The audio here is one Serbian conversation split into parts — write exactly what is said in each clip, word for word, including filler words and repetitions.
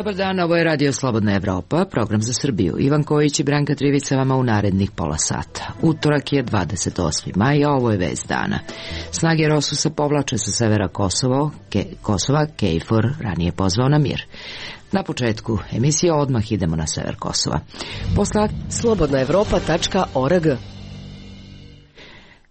Dobar dan, ovo je Radio Slobodna Evropa, program za Srbiju. Ivan Kojić i Branka Trivica vama u narednih pola sata. Utorak je dvadeset osmi maj, a ovo je vest dana. Snage Rosusa povlače sa severa Kosovo, Ke, Kosova, KFOR ranije pozvao na mir. Na početku emisije odmah idemo na sever Kosova. Posla slobodna evropa tačka org.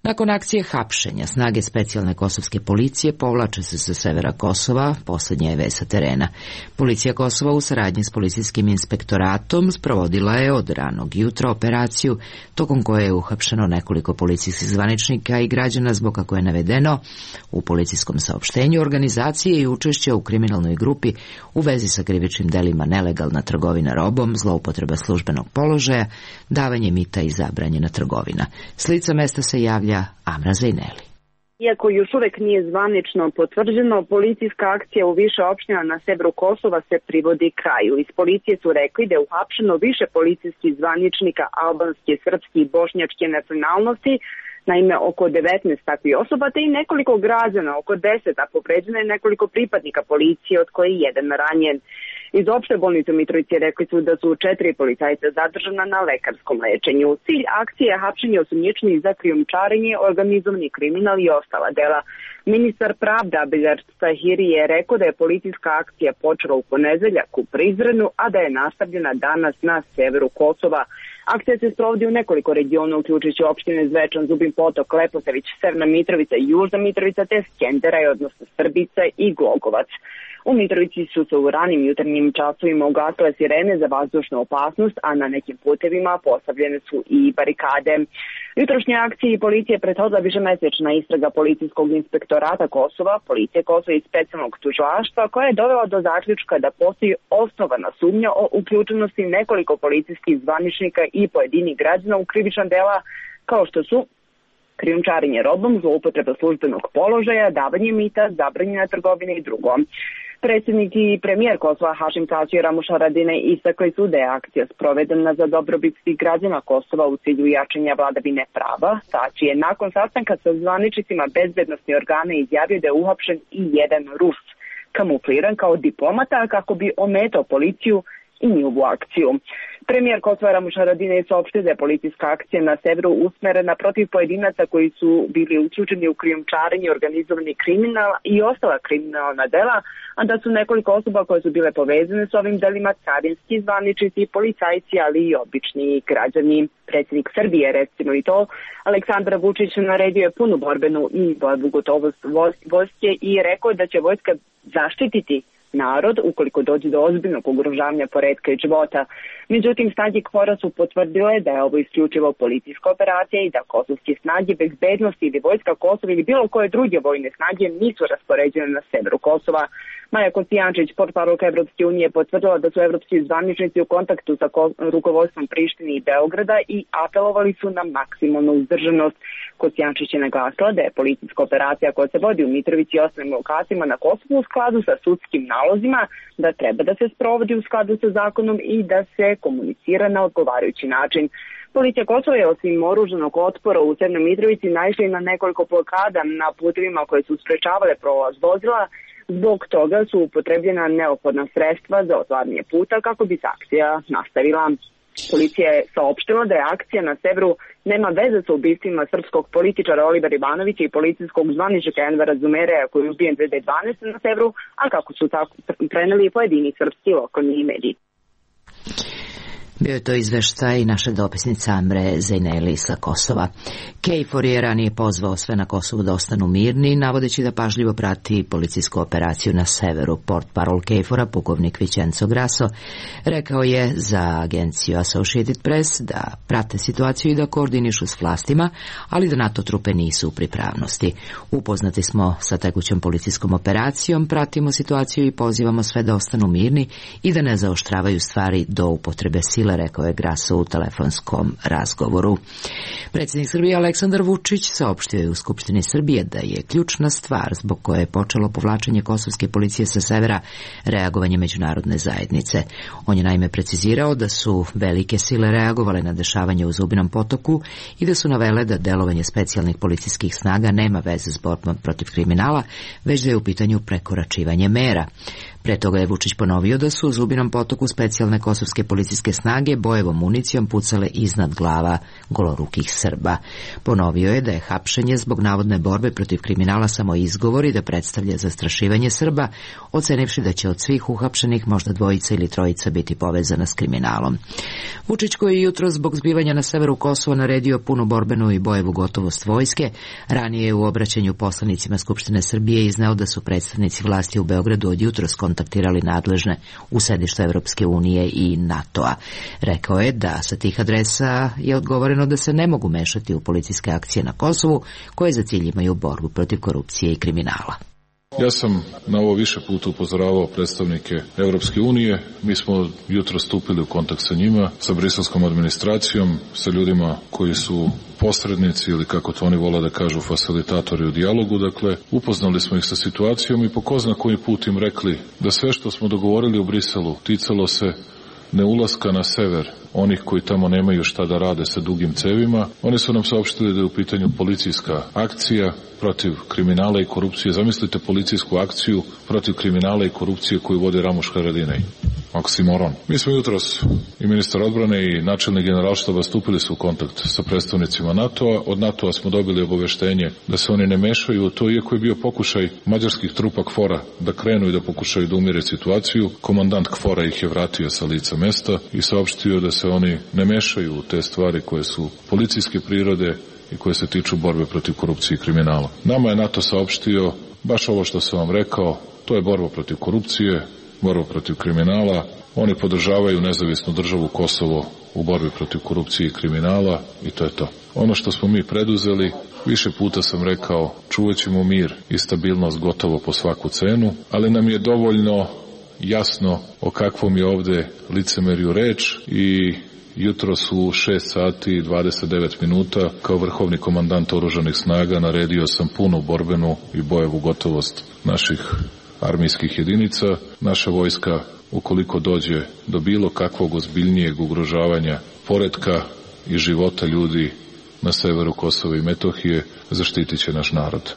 Nakon akcije hapšenja, snage specijalne kosovske policije povlače se sa severa Kosova, poslednja je vest sa terena. Policija Kosova u saradnji s policijskim inspektoratom sprovodila je od ranog jutra operaciju, tokom koje je uhapšeno nekoliko policijskih zvaničnika i građana zbog, kako je navedeno u policijskom saopštenju, organizacije i učešća u kriminalnoj grupi u vezi sa krivičnim delima nelegalna trgovina robom, zloupotreba službenog položaja, davanje mita i zabranjena trgovina. S lica mesta se javlja Amra Zajneli. Iako još uvek nije zvanično potvrđeno, policijska akcija u više opština na severu Kosova se privodi kraju. Iz policije su rekli da je uhapšeno više policijskih zvaničnika albanske, srpske i bošnjačke nacionalnosti, naime oko devetnaest takvih osoba, te i nekoliko građana, oko deset, a povređeno je nekoliko pripadnika policije, od koje je jedan ranjen. Iz opšte bolnice u Mitrovici rekli su da su četiri policajca zadržana na lekarskom lečenju. Cilj akcije je hapšenje osumnjičenih za krijumčarenje, organizovani kriminal i ostala dela. Ministar pravda Abdelaziz Tahiri je rekao da je policijska akcija počela u ponedeljak u Prizrenu, a da je nastavljena danas na severu Kosova. Akcija se sprovodi u nekoliko regiona, uključujući opštine Zvečan, Zubin Potok, Leposavić, Severna Mitrovica i Južna Mitrovica, te Skenderaj, odnosno Srbica i Glogovac. U Mitrovici su se u ranim jutarnjim časovima ugasile sirene za vazdušnu opasnost, a na nekim putevima postavljene su i barikade. Jutrošnje akcije policije prethodila višemesečna istraga policijskog inspektorata Kosova, policije Kosova i specijalnog tužilaštva, koja je dovela do zaključka da postoji osnovana sumnja o uključenosti nekoliko policijskih zvaničnika i pojedinih građana u krivična dela, kao što su krijumčarenje robom, zloupotreba službenog položaja, davanje mita, zabranjena trgovina i drugo. Predsjednik i premijer Kosova Hašim Tači i Ramuš Haradinaj istakli su da je akcija sprovedena za dobrobit svih građana Kosova u cilju jačanja vladavine prava. Tači je nakon sastanka sa zvaničnicima bezbednosnih organa izjavio da je uhapšen i jedan Rus, kamufliran kao diplomata kako bi ometao policiju i njihovu akciju. Premijer Kosova Ramuš Haradinaj saopštio da je policijska akcija na severu usmerena protiv pojedinaca koji su bili uključeni u krijumčarenje, organizovani kriminal i ostala kriminalna dela, a da su nekoliko osoba koje su bile povezane s ovim delima carinski zvaničnici, policajci, ali i obični građani. Predsjednik Srbije, recimo i to, Aleksandar Vučić naredio je punu borbenu i borbu gotovost vojske i rekao da će vojska zaštititi narod ukoliko dođe do ozbiljnog ugrožavanja poretka i života. Međutim, snage KFOR-a su potvrdile da je ovo isključivo policijska operacija i da kosovske snage bezbednosti ili vojska Kosova ili bilo koje druge vojne snage nisu raspoređene na severu Kosova. Maja Kocijančić, portparolka Evropske unije, potvrdila da su evropski zvaničnici u kontaktu sa rukovodstvom Prištine i Beograda i apelovali su na maksimalnu uzdržanost. Kocijančić je naglasila da je policijska operacija koja se vodi u Mitrovici i ostalim lokacijama na Kosovu u skladu sa sudskim nalozima, da treba da se sprovodi u skladu sa zakonom i da se komunicira na odgovarajući način. Policija Kosova je osim oružanog otpora u Severnoj Mitrovici naišla na nekoliko blokada na putevima koje su sprečavale prolaz vozila. Zbog toga su upotrebljena neophodna sredstva za otvaranje puta kako bi se akcija nastavila. Policija je saopštila da je akcija na severu nema veze sa ubistvima srpskog političara Olivera Ivanovića i policijskog zvaničnika Envera Zumereja koji je ubijen dve hiljade dvanaeste. na severu, a kako su tako preneli pojedini srpski lokalni mediji. Bio je to izveštaj naše dopisnice Amre Zajneli sa Kosova. KFOR je ranije pozvao sve na Kosovu da ostanu mirni, navodeći da pažljivo prati policijsku operaciju na severu. Portparol KFOR-a, pukovnik Vićenco Graso, rekao je za agenciju Associated Press da prate situaciju i da koordinišu s vlastima, ali da NATO trupe nisu u pripravnosti. Upoznati smo sa tekućom policijskom operacijom, pratimo situaciju i pozivamo sve da ostanu mirni i da ne zaoštravaju stvari do upotrebe sile, rekao je Graso u telefonskom razgovoru. Predsjednik Srbije Aleksandar Vučić saopštio je u Skupštini Srbije da je ključna stvar zbog koje je počelo povlačenje kosovske policije sa severa reagovanje međunarodne zajednice. On je naime precizirao da su velike sile reagovale na dešavanje u Zubinom Potoku i da su navele da delovanje specijalnih policijskih snaga nema veze s borbom protiv kriminala, već da je u pitanju prekoračivanje mera. Pre toga je Vučić ponovio da su u Zubinom Potoku specijalne kosovske policijske snage bojevom municijom pucale iznad glava golorukih Srba. Ponovio je da je hapšenje zbog navodne borbe protiv kriminala samo izgovor i da predstavlja zastrašivanje Srba, ocenivši da će od svih uhapšenih možda dvojica ili trojica biti povezana s kriminalom. Vučić, koji je jutro zbog zbivanja na severu Kosova naredio punu borbenu i bojevu gotovost vojske, ranije je u obraćanju poslanicima Skupštine Srbije izneo da su predstavnici vlasti u Beogradu od jutros kontaktirali nadležne u sedištu Evropske unije i NATO-a. Rekao je da sa tih adresa je odgovoreno da se ne mogu mešati u policijske akcije na Kosovu koje za cilj imaju borbu protiv korupcije i kriminala. Ja sam na ovo više puta upozoravao predstavnike Evropske unije. Mi smo jutro stupili u kontakt sa njima, sa briselskom administracijom, sa ljudima koji su posrednici ili kako to oni vole da kažu fasilitatori u dijalogu. Dakle, upoznali smo ih sa situacijom i po ko zna koji put im rekli da sve što smo dogovorili u Briselu ticalo se ne ulaska na sever onih koji tamo nemaju šta da rade sa dugim cevima. Oni su nam saopštili da je u pitanju policijska akcija protiv kriminala i korupcije. Zamislite policijsku akciju protiv kriminala i korupcije koju vode Ramuš Haradinaj. Oksimoron. Mi smo jutros i ministar odbrane i načelnik generalštaba stupili su u kontakt sa predstavnicima NATO-a. Od NATO-a smo dobili obaveštenje da se oni ne mešaju u to, iako je bio pokušaj mađarskih trupa KFOR-a da krenu i da pokušaju da umire situaciju. Komandant KFOR-a ih je vratio sa lica mesta i saopštio da se oni ne mešaju u te stvari koje su policijske prirode i koje se tiču borbe protiv korupcije i kriminala. Nama je NATO saopštio baš ovo što sam vam rekao, to je borba protiv korupcije, borba protiv kriminala. Oni podržavaju nezavisnu državu Kosovo u borbi protiv korupcije i kriminala i to je to. Ono što smo mi preduzeli, više puta sam rekao, čuvat ćemo mir i stabilnost gotovo po svaku cenu, ali nam je dovoljno jasno o kakvom je ovde licemerju reč i jutro su šest sati i dvadeset devet minuta kao vrhovni komandant oružanih snaga naredio sam punu borbenu i bojevu gotovost naših armijskih jedinica. Naša vojska, ukoliko dođe do bilo kakvog ozbiljnijeg ugrožavanja poretka i života ljudi na severu Kosova i Metohije, zaštitit će naš narod.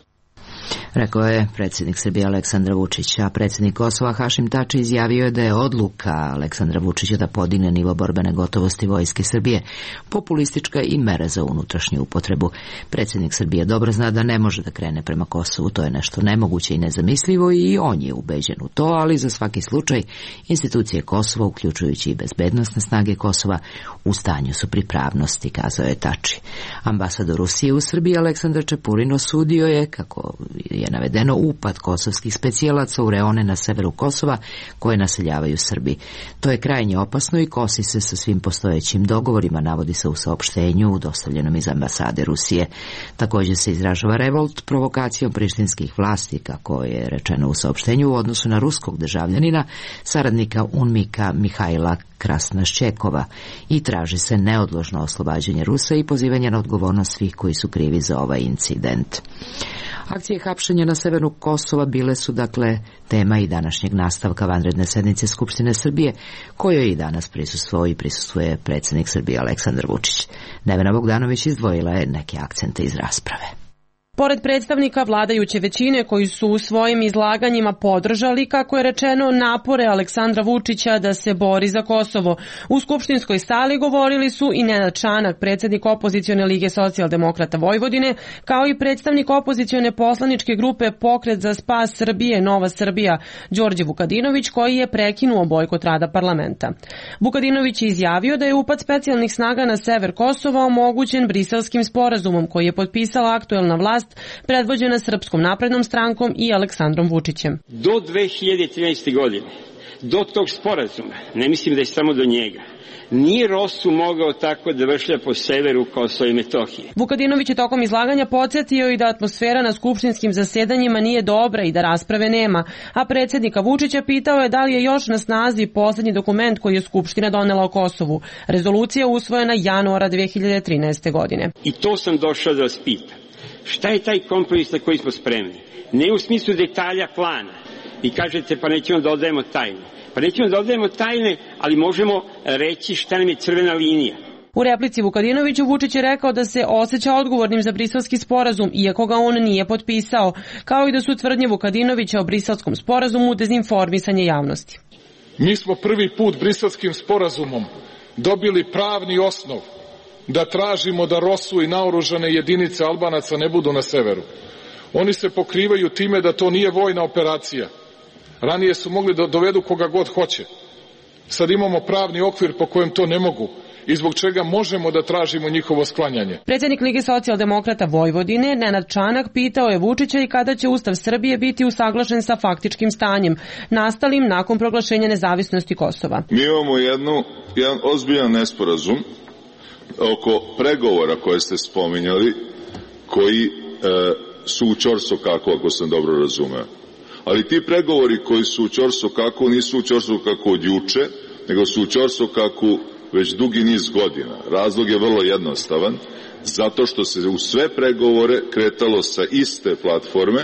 Rekao je predsjednik Srbije Aleksandar Vučić, a predsjednik Kosova Hašim Tači izjavio je da je odluka Aleksandra Vučića da podigne nivo borbene gotovosti vojske Srbije populistička i mera za unutrašnju upotrebu. Predsjednik Srbije dobro zna da ne može da krene prema Kosovu, to je nešto nemoguće i nezamislivo i on je ubeđen u to, ali za svaki slučaj institucije Kosova, uključujući i bezbednosne snage Kosova, u stanju su pripravnosti, kazao je Tači. Ambasador Rusije u Srbiji Aleksandar Čepurin osudio je, kako je navedeno, upad kosovskih specijalaca u reone na severu Kosova koje naseljavaju Srbi. To je krajnje opasno i kosi se sa svim postojećim dogovorima, navodi se u saopštenju dostavljenom iz ambasade Rusije. Također se izražava revolt provokacijom prištinskih vlasti, kako je rečeno u saopštenju, u odnosu na ruskog državljanina, saradnika UNMIK-a Mihajla Krasnaščekova, i traži se neodložno oslobađanje Rusa i pozivanje na odgovornost svih koji su krivi za ovaj incident. Akcije hapšenja na severu Kosova bile su dakle tema i današnjeg nastavka vanredne sednice Skupštine Srbije, kojoj i danas prisustvovao i prisustvuje predsjednik Srbije Aleksandar Vučić. Nevena Bogdanović izdvojila je neke akcente iz rasprave. Pored predstavnika vladajuće većine koji su u svojim izlaganjima podržali, kako je rečeno, napore Aleksandra Vučića da se bori za Kosovo, u skupštinskoj sali govorili su i Nenad Čanak, predsjednik opozicione lige socijaldemokrata Vojvodine, kao i predstavnik opozicione poslaničke grupe Pokret za spas Srbije Nova Srbija Đorđe Vukadinović, koji je prekinuo bojkot rada parlamenta. Vukadinović je izjavio da je upad specijalnih snaga na sever Kosova omogućen Briselskim sporazumom koji je potpisala aktuelna vlast predvođena Srpskom naprednom strankom i Aleksandrom Vučićem. Do dve hiljade trinaeste. godine, do tog sporazuma, ne mislim da je samo do njega, nije Rosu mogao tako da vršlja po severu Kosova i Metohije. Vukadinović je tokom izlaganja podsjetio i da atmosfera na skupštinskim zasedanjima nije dobra i da rasprave nema, a predsjednika Vučića pitao je da li je još na snazi poslednji dokument koji je Skupština donela o Kosovu. Rezolucija usvojena januara dve hiljade trinaeste. godine. I to sam došao da vas pitam. Šta je taj kompromis na koji smo spremni? Ne u smislu detalja plana. Vi kažete pa nećemo da odajemo tajne. Pa nećemo da odajemo tajne, ali možemo reći šta nam je crvena linija. U replici Vukadinoviću Vučić je rekao da se osjeća odgovornim za briselski sporazum, iako ga on nije potpisao, kao i da su tvrdnje Vukadinovića o briselskom sporazumu dezinformisanje javnosti. Mi smo prvi put briselskim sporazumom dobili pravni osnov da tražimo da ROSU i naoružane jedinice Albanaca ne budu na severu. Oni se pokrivaju time da to nije vojna operacija. Ranije su mogli da dovedu koga god hoće. Sad imamo pravni okvir po kojem to ne mogu i zbog čega možemo da tražimo njihovo sklanjanje. Predsjednik Lige socijaldemokrata Vojvodine, Nenad Čanak, pitao je Vučića i kada će Ustav Srbije biti usaglašen sa faktičkim stanjem, nastalim nakon proglašenja nezavisnosti Kosova. Mi imamo jednu, jedan ozbiljan nesporazum oko pregovora koje ste spominjali, koji e, su u ćorsokaku, ako sam dobro razumeo. Ali ti pregovori koji su u ćorsokaku nisu u ćorsokaku od juče, nego su u ćorsokaku već dugi niz godina. Razlog je vrlo jednostavan, zato što se u sve pregovore kretalo sa iste platforme,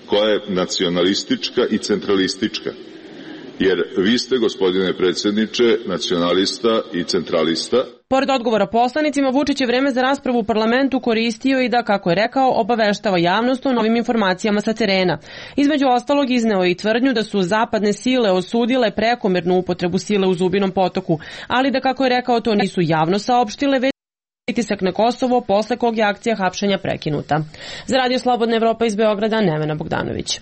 koja je nacionalistička i centralistička. Jer vi ste, gospodine predsjedniče, nacionalista i centralista. Pored odgovora poslanicima, Vučić je vreme za raspravu u parlamentu koristio i da, kako je rekao, obaveštava javnost o novim informacijama sa terena. Između ostalog izneo je i tvrdnju da su zapadne sile osudile prekomernu upotrebu sile u Zubinom Potoku, ali da, kako je rekao, to nisu javno saopštile, već pritisak na Kosovo, posle kog je akcija hapšenja prekinuta. Za Radio Slobodna Evropa iz Beograda, Nevena Bogdanović.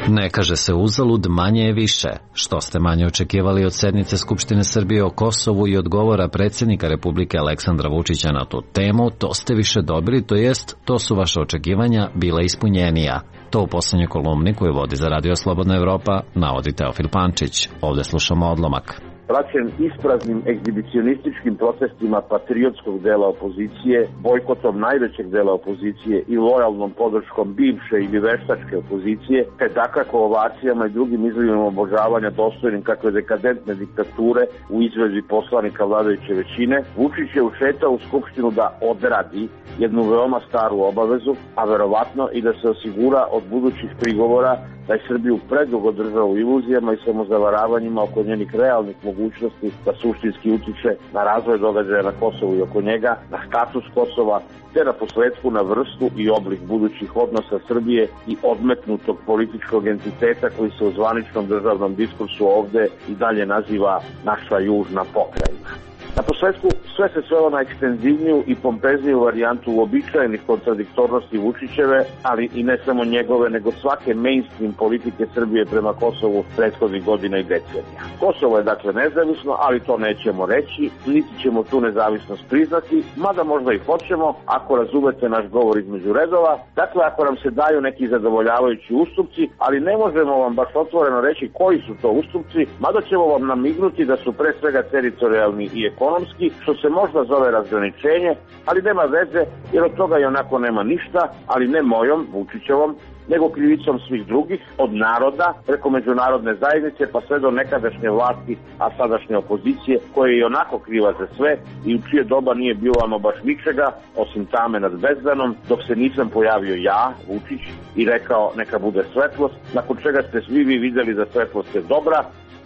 Ne kaže se uzalud, manje je više. Što ste manje očekivali od sednice Skupštine Srbije o Kosovu i odgovora predsjednika Republike Aleksandra Vučića na tu temu, to ste više dobili, to jest, to su vaše očekivanja bila ispunjenija. To u poslednjoj kolumni koju vodi za Radio Slobodna Evropa navodi Teofil Pančić. Ovde slušamo odlomak. Praćen ispraznim egzibicionističkim protestima patriotskog dela opozicije, bojkotom najvećeg dela opozicije i lojalnom podrškom bivše ili veštačke opozicije, te dakako ovacijama i drugim izlivima obožavanja dostojnim kakve dekadentne diktature u izvedbi poslanika vladajuće većine, Vučić je ušetao u Skupštinu da odradi jednu veoma staru obavezu, a verovatno i da se osigura od budućih prigovora da je Srbiju predugo držao u iluzijama i samozavaravanjima oko njenih realnih mogućnosti da suštinski utiče na razvoj događaja na Kosovu i oko njega, na status Kosova, te na posledku na vrstu i oblik budućih odnosa Srbije i odmetnutog političkog entiteta koji se u zvaničnom državnom diskursu ovde i dalje naziva naša južna pokrajina. Na posledku sve se svelo na ekstenzivniju i pompezniju varijantu uobičajenih kontradiktornosti Vučićeve, ali i ne samo njegove, nego svake mainstream politike Srbije prema Kosovu prethodnih godina i decenija. Kosovo je dakle nezavisno, ali to nećemo reći, niti ćemo tu nezavisnost priznati, mada možda i hoćemo, ako razumete naš govor između redova, dakle ako nam se daju neki zadovoljavajući ustupci, ali ne možemo vam baš otvoreno reći koji su to ustupci, mada ćemo vam namignuti da su pre svega teritorijalni i ekonomski, što se možda zove razgraničenje, ali nema veze, jer od toga i onako nema ništa, ali ne mojom, Vučićevom, nego krivicom svih drugih, od naroda, preko međunarodne zajednice, pa sve do nekadašnje vlasti, a sadašnje opozicije, koja je i onako kriva za sve i u čije doba nije bilo ama baš ničega, osim tame nad bezdanom, dok se nisam pojavio ja, Vučić, i rekao neka bude svetlost, nakon čega ste svi vi videli da svetlost je dobra,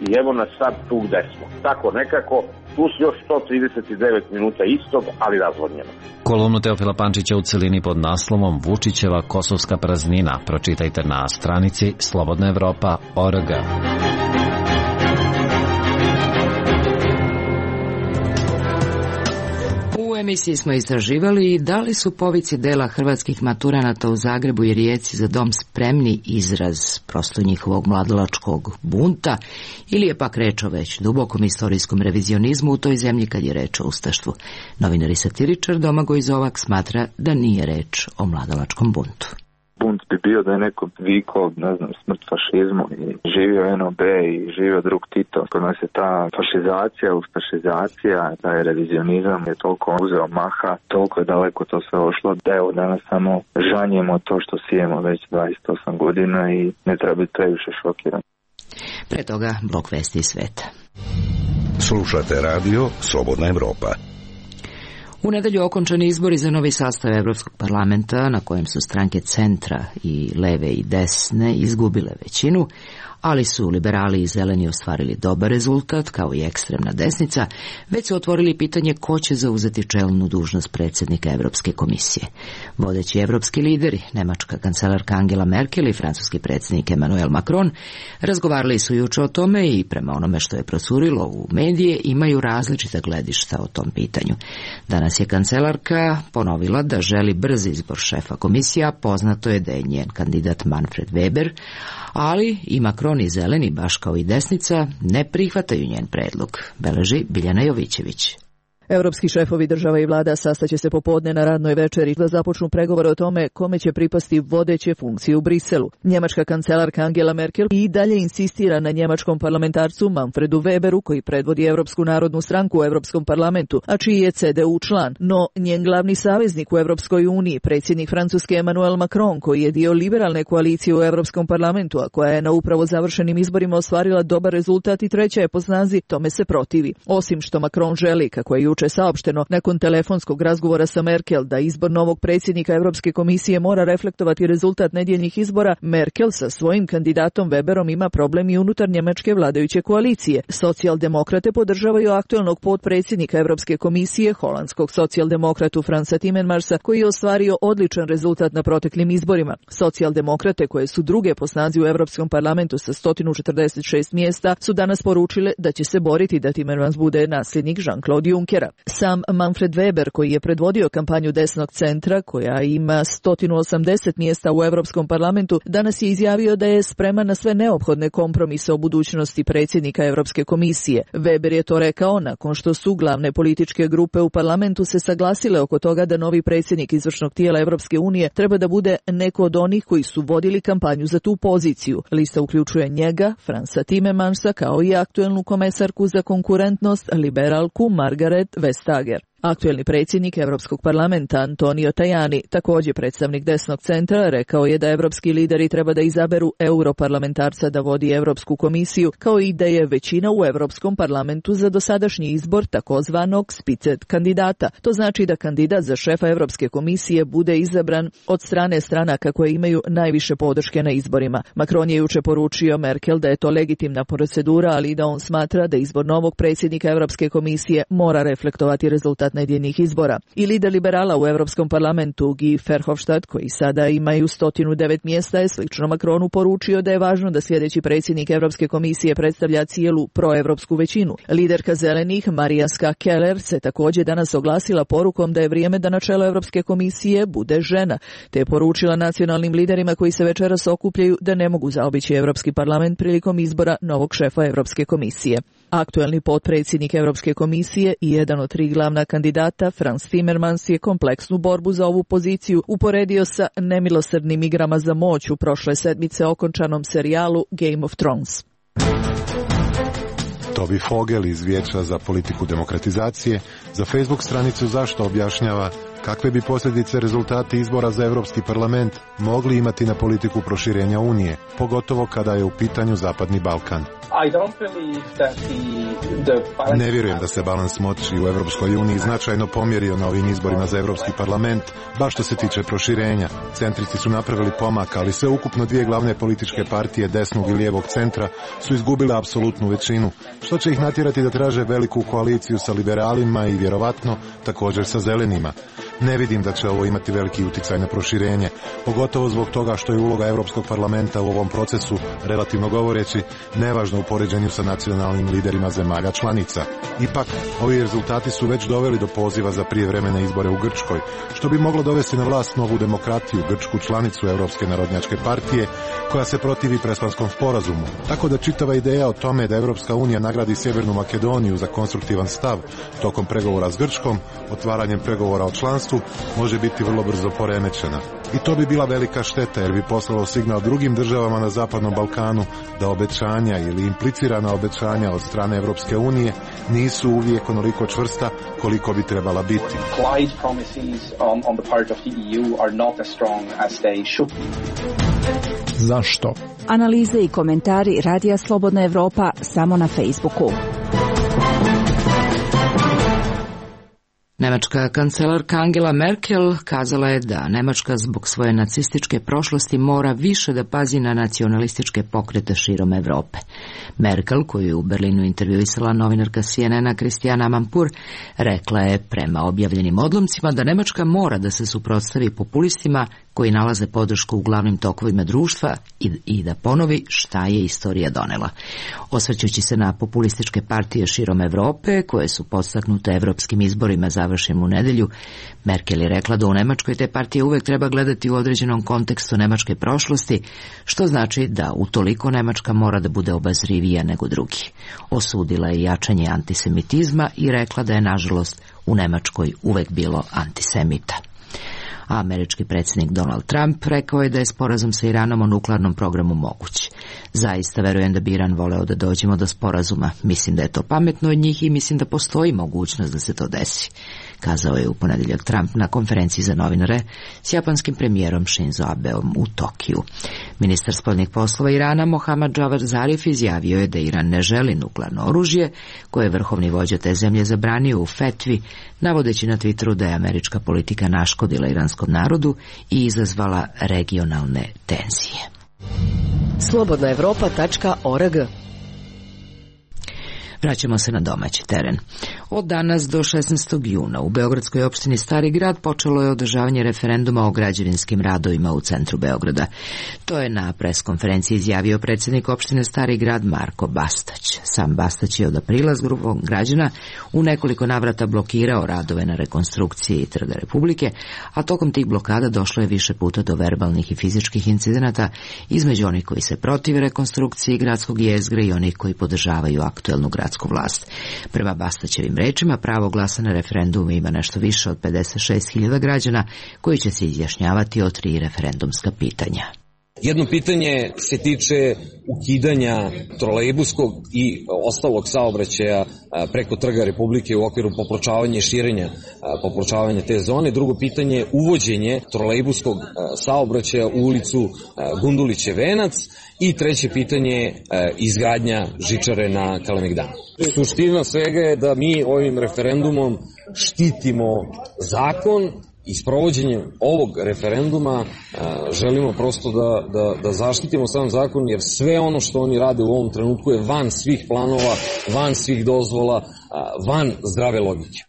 i evo nas sad tu gde smo. Tako nekako, plus još sto trideset devet minuta istog, ali razvodnjeno. Kolumnu Teofila Pančića u celini pod naslovom Vučićeva kosovska praznina pročitajte na stranici slobodna evropa tačka org. U emisiji smo istraživali da li su povici dela hrvatskih maturanata u Zagrebu i Rijeci za dom spremni izraz prosto njihovog mladalačkog bunta ili je pak reč o već dubokom istorijskom revizionizmu u toj zemlji kad je reč o ustaštvu. Novinar i satiričar Domagoj Zovak smatra da nije reč o mladalačkom buntu. Bunt bi bio da je neko vikao, ne znam, smrt fašizmu i živio en o be i živio drug Tito. Kod nas je ta fašizacija, ustašizacija, taj revizionizam je toliko uzeo maha, toliko je daleko to sve ošlo, da evo danas samo žanjemo to što sijemo već dvadeset osam godina i ne treba biti previše šokiran. Pre toga blok vesti iz sveta. Slušate radio Slobodna Evropa. U nedelju okončani izbori za novi sastav Evropskog parlamenta, na kojem su stranke centra i leve i desne izgubile većinu, ali su liberali i zeleni ostvarili dobar rezultat, kao i ekstremna desnica, već su otvorili pitanje ko će zauzeti čelnu dužnost predsjednika Evropske komisije. Vodeći evropski lideri, nemačka kancelarka Angela Merkel i francuski predsjednik Emmanuel Macron, razgovarali su juče o tome i prema onome što je procurilo u medije imaju različita gledišta o tom pitanju. Danas je kancelarka ponovila da želi brz izbor šefa komisija, poznato je da je njen kandidat Manfred Weber, ali i Macron i zeleni, baš kao i desnica, ne prihvataju njen predlog, beleži Biljana Jovićević. Europski šefovi država i vlada sastaće se popodne na radnoj večeri da započnu pregovore o tome kome će pripasti vodeće funkcije u Briselu. Njemačka kancelarka Angela Merkel i dalje insistira na njemačkom parlamentarcu Manfredu Weberu, koji predvodi Europsku narodnu stranku u Europskom parlamentu, a čiji je C D U član. No, njen glavni saveznik u Europskoj uniji, predsjednik Francuske Emmanuel Macron, koji je dio liberalne koalicije u Europskom parlamentu, a koja je na upravo završenim izborima ostvarila dobar rezultat i treća je po snazi, tome se protivi. Osim što Macron želi, kako je juče saopšteno nakon telefonskog razgovora sa Merkel, da izbor novog predsjednika Europske komisije mora reflektovati rezultat nedjeljnih izbora, Merkel sa svojim kandidatom Weberom ima problem i unutar njemačke vladajuće koalicije. Socijaldemokrate podržavaju aktualnog potpredsjednika Europske komisije, holandskog socijaldemokratu Fransa Timmermansa, koji je ostvario odličan rezultat na proteklim izborima. Socijaldemokrate, koje su druge po snazi u Europskom parlamentu sa sto četrdeset šest mjesta, su danas poručile da će se boriti da Timmermans bude nasljednik Jean-Claude Junckera. Sam Manfred Weber, koji je predvodio kampanju desnog centra, koja ima sto osamdeset mjesta u Europskom parlamentu, danas je izjavio da je spreman na sve neophodne kompromise o budućnosti predsjednika Europske komisije. Weber je to rekao nakon što su glavne političke grupe u parlamentu se saglasile oko toga da novi predsjednik izvršnog tijela Europske unije treba da bude neko od onih koji su vodili kampanju za tu poziciju. Lista uključuje njega, Fransa Timmermansa, kao i aktuelnu komesarku za konkurentnost, liberalku Margaret Vestager. Aktuelni predsjednik Europskog parlamenta Antonio Tajani, također predstavnik desnog centra, rekao je da evropski lideri treba da izaberu europarlamentarca da vodi Europsku komisiju, kao i da je većina u Europskom parlamentu za dosadašnji izbor takozvanog spicet kandidata. To znači da kandidat za šefa Europske komisije bude izabran od strane stranaka koje imaju najviše podrške na izborima. Macron je juče poručio Merkel da je to legitimna procedura, ali da on smatra da izbor novog predsjednika Europske komisije mora reflektovati rezultat nedjeljnih izbora. I lider liberala u Europskom parlamentu Guy Verhofstadt, koji sada imaju sto devet mjesta, je slično Macronu poručio da je važno da sljedeći predsjednik Europske komisije predstavlja cijelu proevropsku većinu. Liderka zelenih Maria Ska Keller se također danas oglasila porukom da je vrijeme da na čelo Europske komisije bude žena, te je poručila nacionalnim liderima koji se večeras okupljaju da ne mogu zaobići Europski parlament prilikom izbora novog šefa Europske komisije. Aktuelni potpredsjednik Europske komisije i jedan od tri glavna kandidata, Frans Timmermans, je kompleksnu borbu za ovu poziciju uporedio sa nemilosrdnim igrama za moć u prošle sedmice okončanom serijalu Game of Thrones. Toby Fogel iz Vijeća za politiku demokratizacije za Facebook stranicu Zašto objašnjava kakve bi posljedice rezultati izbora za Europski parlament mogli imati na politiku proširenja Unije, pogotovo kada je u pitanju Zapadni Balkan. Ne vjerujem da se balans moći u Europskoj uniji značajno pomjerio na ovim izborima za Europski parlament, baš što se tiče proširenja. Centristi su napravili pomak, ali sve ukupno dvije glavne političke partije desnog i lijevog centra su izgubile apsolutnu većinu, što će ih natjerati da traže veliku koaliciju sa liberalima i vjerovatno također sa zelenima. Ne vidim da će ovo imati veliki utjecaj na proširenje, pogotovo zbog toga što je uloga Europskog parlamenta u ovom procesu, relativno govoreći, nevažna u poređenju sa nacionalnim liderima zemalja članica. Ipak, ovi rezultati su već doveli do poziva za prijevremene izbore u Grčkoj, što bi moglo dovesti na vlast novu demokratiju, grčku članicu Europske narodnjačke partije, koja se protivi Prespanskom sporazumu. Tako da čitava ideja o tome da Europska unija nagradi Sjevernu Makedoniju za konstruktivan stav tokom pregovora s Grčkom, otvaranjem pregovora o članstvu, može biti vrlo brzo poremećena. I to bi bila velika šteta jer bi poslalo signal drugim državama na Zapadnom Balkanu da obećanja ili implicirana obećanja od strane Europske unije nisu uvijek onoliko čvrsta koliko bi trebala biti. Zašto? Analize i komentari Radija Slobodna Evropa samo na Facebooku. Nemačka kancelarka Angela Merkel kazala je da Nemačka zbog svoje nacističke prošlosti mora više da pazi na nacionalističke pokrete širom Evrope. Merkel, koju je u Berlinu intervjuisala novinarka C N N-a Christiane Amanpour, rekla je prema objavljenim odlomcima da Nemačka mora da se suprotstavi populistima koji nalaze podršku u glavnim tokovima društva i, i da ponovi šta je istorija donela. Osvrćući se na populističke partije širom Evrope, koje su podstaknute evropskim izborima završenim u nedelju, Merkel je rekla da u Nemačkoj te partije uvek treba gledati u određenom kontekstu nemačke prošlosti, što znači da utoliko Nemačka mora da bude obazrivija nego drugi. Osudila je jačanje antisemitizma i rekla da je, nažalost, u Nemačkoj uvek bilo antisemita. A američki predsjednik Donald Trump rekao je da je sporazum sa Iranom o nuklearnom programu moguć. Zaista verujem da bi Iran voleo da dođemo do sporazuma. Mislim da je to pametno od njih i mislim da postoji mogućnost da se to desi, kazao je u ponedeljak Trump na konferenciji za novinare s japanskim premijerom Shinzo Abeom u Tokiju. Ministar spoljnih poslova Irana Mohammad Javad Zarif izjavio je da Iran ne želi nuklearno oružje, koje je vrhovni vođa te zemlje zabranio u fetvi, navodeći na Twitteru da je američka politika naškodila iranskom narodu i izazvala regionalne tenzije. slobodna evropa tačka org. Vraćamo se na domaći teren. Od danas do šesnaestog juna u beogradskoj opštini Stari grad počelo je održavanje referenduma o građevinskim radovima u centru Beograda. To je na pres konferenciji izjavio predsjednik opštine Stari grad Marko Bastać. Sam Bastać je od aprila s grupom građana u nekoliko navrata blokirao radove na rekonstrukciji Trga Republike, a tokom tih blokada došlo je više puta do verbalnih i fizičkih incidenata između onih koji se protive rekonstrukciji gradskog jezgra i onih koji podržavaju aktuelnu gradsku vlast. Prema Bastaćevim rečima, pravo glasa na referendumu ima nešto više od pedeset šest hiljada građana koji će se izjašnjavati o tri referendumska pitanja. Jedno pitanje se tiče ukidanja trolejbuskog i ostalog saobraćaja preko Trga Republike u okviru popločavanja i širenja popločavanja te zone. Drugo pitanje je uvođenje trolejbuskog saobraćaja u ulicu Gundulićev venac. I treće pitanje je izgradnja žičare na Kalemegdanu. Suština svega je da mi ovim referendumom štitimo zakon i sprovođenjem ovog referenduma želimo prosto da, da, da zaštitimo sam zakon, jer sve ono što oni rade u ovom trenutku je van svih planova, van svih dozvola, van zdrave logike.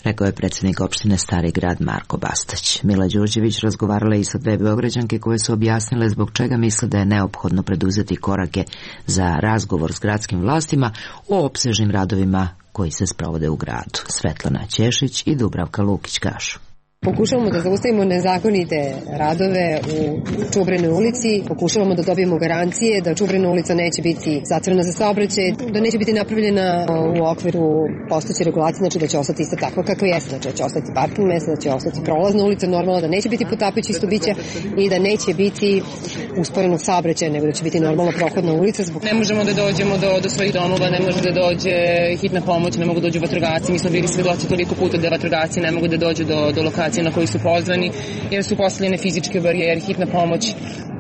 Rekao je predsjednik opštine Stari grad Marko Bastać. Mila Đurđević razgovarala i sa dve beograđanke koje su objasnile zbog čega misle da je neophodno preduzeti korake za razgovor s gradskim vlastima o opsežnim radovima koji se sprovode u gradu. Svetlana Ćešić i Dubravka Lukić kažu. Pokušavamo da zaustavimo nezakonite radove u Čubrenoj ulici, pokušavamo da dobijemo garancije da Čubrena ulica neće biti zatvorena za saobraćaj, da neće biti napravljena u okviru postojeće regulacije, znači da će ostati isto takva kakva jeste, znači da će ostati parking mesta, da će ostati prolazna ulica normalno, da neće biti potapići isto bića i da neće biti usporenog saobraćaja, nego da će biti normalna prohodna ulica. Zbog... Ne možemo da dođemo do, do svojih domova, ne može da dođe hitna pomoć, ne mogu da dođu vatrogasci, mi smo bili svedoci toliko puta da vatrogasci ne mogu da dođu do, do lokacije na koji su pozvani, jer su postavljene fizičke barijere, hitna pomoć.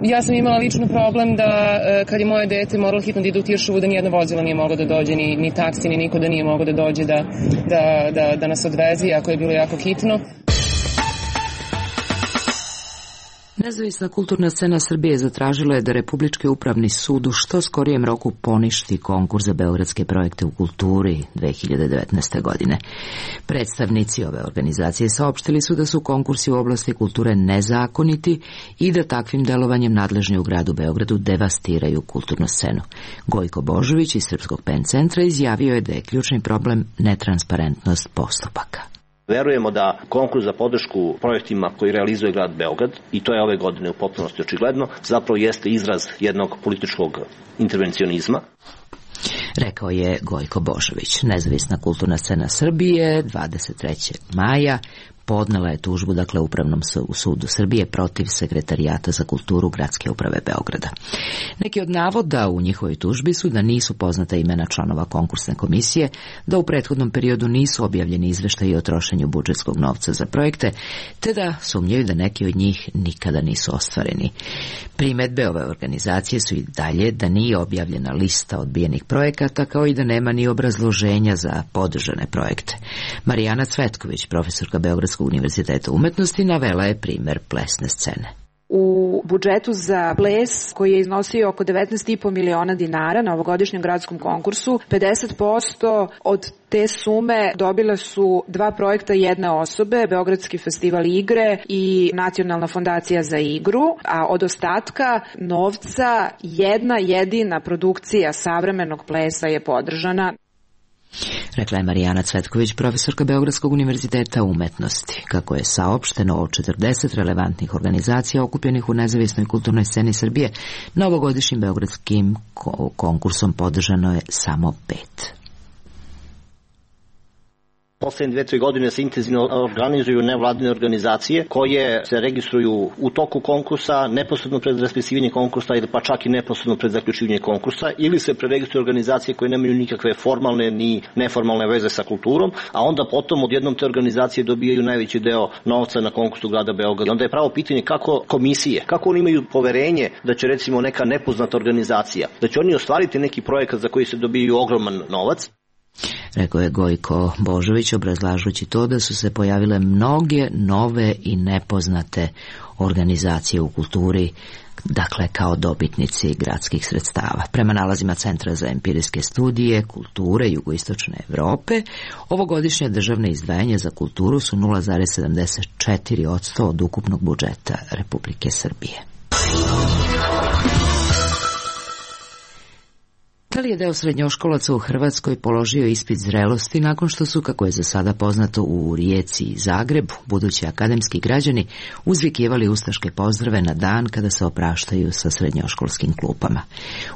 Ja sam imala lično problem da kad je moje dete moralo hitno da ide u Tiršovu, da nijedno vozilo nije moglo da dođe, ni, ni taksi, ni niko da nije moglo da dođe da, da, da, da nas odveze, ako je bilo jako hitno. Nezavisna kulturna scena Srbije zatražila je da Republički upravni sud u što skorijem roku poništi konkurs za beogradske projekte u kulturi dve hiljade devetnaeste. godine. Predstavnici ove organizacije saopštili su da su konkursi u oblasti kulture nezakoniti i da takvim delovanjem nadležni u gradu Beogradu devastiraju kulturnu scenu. Gojko Božović iz Srpskog pen centra izjavio je da je ključni problem netransparentnost postupaka. Verujemo da konkurs za podršku projektima koji realizuje grad Beograd, i to je ove godine u potpunosti očigledno, zapravo jeste izraz jednog političkog intervencionizma. Rekao je Gojko Božović. Nezavisna kulturna scena Srbije dvadeset trećeg maja podnela je tužbu, dakle, Upravnom sudu Srbije protiv Sekretarijata za kulturu Gradske uprave Beograda. Neki od navoda u njihovoj tužbi su da nisu poznata imena članova konkursne komisije, da u prethodnom periodu nisu objavljeni izveštaji o trošenju budžetskog novca za projekte, te da sumnjaju da neki od njih nikada nisu ostvareni. Primedbe ove organizacije su i dalje da nije objavljena lista odbijenih projekata, kao i da nema ni obrazloženja za podržane projekte. Marijana Cvetković, profesorka Beogradskog univerziteta umetnosti, navela je primer plesne scene. U budžetu za ples, koji je iznosio oko devetnaest i po miliona dinara na ovogodišnjem gradskom konkursu, pedeset posto od te sume dobile su dva projekta jedne osobe, Beogradski festival igre i Nacionalna fondacija za igru, a od ostatka novca jedna jedina produkcija savremenog plesa je podržana. Rekla je Marijana Cvetković, profesorka Beogradskog univerziteta umetnosti. Kako je saopšteno od četrdeset relevantnih organizacija okupljenih u nezavisnoj kulturnoj sceni Srbije, na ovogodišnjim beogradskim konkursom podržano je samo pet. Poslednje dve, tri godine se intenzivno organizuju nevladine organizacije koje se registruju u toku konkursa, neposredno pred raspisivanje konkursa ili pa čak i neposredno pred zaključivanje konkursa, ili se preregistruju organizacije koje nemaju nikakve formalne ni neformalne veze sa kulturom, a onda potom odjednom te organizacije dobijaju najveći deo novca na konkursu grada Beograda. Onda je pravo pitanje kako komisije, kako oni imaju poverenje da će recimo neka nepoznata organizacija, da će oni ostvariti neki projekat za koji se dobijaju ogroman novac. Rekao je Gojko Božović, obrazlažući to da su se pojavile mnoge nove i nepoznate organizacije u kulturi, dakle kao dobitnici gradskih sredstava. Prema nalazima Centra za empirijske studije kulture Jugoistočne Evrope, ovogodišnje državne izdvajanje za kulturu su nula zarez sedamdeset četiri posto od ukupnog budžeta Republike Srbije. Da li je deo srednjoškolaca u Hrvatskoj položio ispit zrelosti nakon što su, kako je za sada poznato, u Rijeci i Zagrebu budući akademski građani uzvikivali ustaške pozdrave na dan kada se opraštaju sa srednjoškolskim klupama?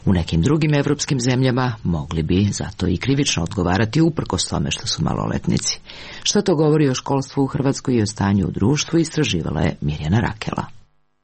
U nekim drugim evropskim zemljama mogli bi zato i krivično odgovarati uprkos tome što su maloletnici. Što to govori o školstvu u Hrvatskoj i o stanju u društvu, istraživala je Mirjana Rakela.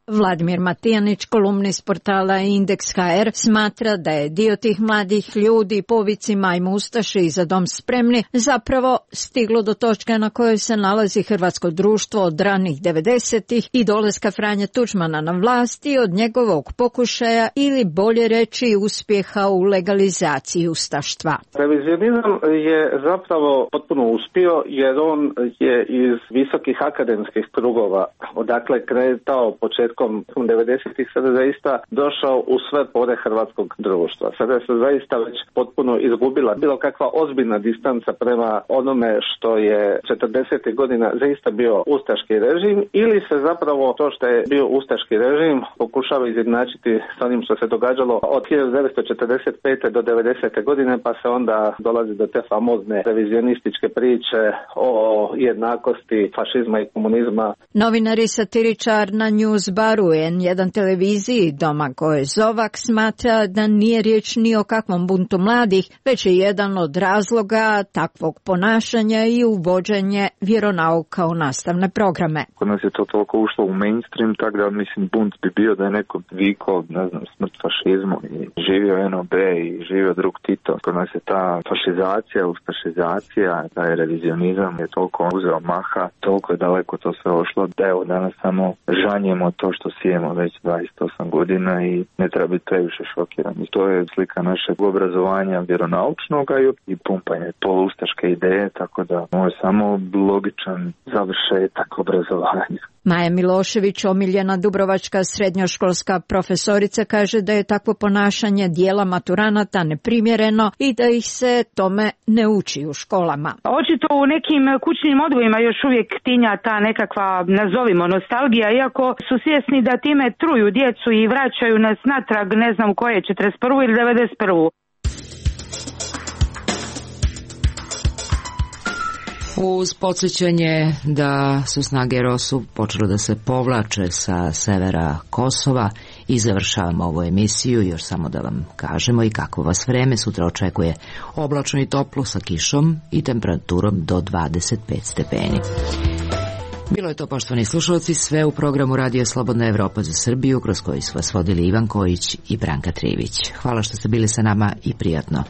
Vladimir Matijanić, kolumnist portala Indeks ha er, smatra da je dio tih mladih ljudi po vici majmu ustaše i za dom spremni zapravo stiglo do točke na kojoj se nalazi hrvatsko društvo od ranih devedesetih i dolaska Franje Tuđmana na vlast i od njegovog pokušaja ili bolje reći uspjeha u legalizaciji ustaštva. Revizionizam je zapravo potpuno uspio jer on je iz visokih akademskih krugova, odakle kretao početkom devedesetih sada zaista došao u sve pore hrvatskog društva. Sada se zaista već potpuno izgubila bilo kakva ozbiljna distanca prema onome što je četrdesetih godina zaista bio ustaški režim, ili se zapravo to što je bio ustaški režim pokušava izjednačiti sa onim što se događalo od hiljadu devetsto četrdeset pete do devedesete godine, pa se onda dolazi do te famozne revizionističke priče o jednakosti fašizma i komunizma. Novinar i satiričar na News Baru en jedan televiziji Domagoj Zovak smatra da nije riječ ni o kakvom buntu mladih, već je jedan od razloga takvog ponašanja i uvođenje vjeronauka u nastavne programe. Kod nas je to toliko ušlo u mainstream, tako da mislim bunt bi bio da je neko vikao, ne znam, smrt fašizmu i živio en o be i živio drug Tito. Kod nas je ta fašizacija, ustašizacija, taj revizionizam je toliko uzeo maha, toliko je daleko to sve ošlo da evo danas samo žanjemo to što sijemo već dvadeset osam godina i ne treba biti previše šokirani. To je slika našeg obrazovanja vjeronaučnog i pumpanje polustaške ideje, tako da ovo je samo logičan završetak obrazovanja. Maja Milošević, omiljena dubrovačka srednjoškolska profesorica, kaže da je takvo ponašanje dijela maturanata neprimjereno i da ih se tome ne uči u školama. Očito u nekim kućnim odgojima još uvijek tinja ta nekakva, nazovimo, nostalgija, iako su svjesni da time truju djecu i vraćaju nas natrag, ne znam koje, četrdeset prvu ili devedeset prvu. Uz podsjećanje da su snage er o es-u počele da se povlače sa severa Kosova i završavamo ovu emisiju, još samo da vam kažemo i kako vas vreme sutra očekuje: oblačno i toplo sa kišom i temperaturom do dvadeset pet stepeni. Bilo je to, poštovani slušalci, sve u programu Radio Slobodna Evropa za Srbiju, kroz koji su vas vodili Ivan Kojić i Branka Trivić. Hvala što ste bili sa nama i prijatno.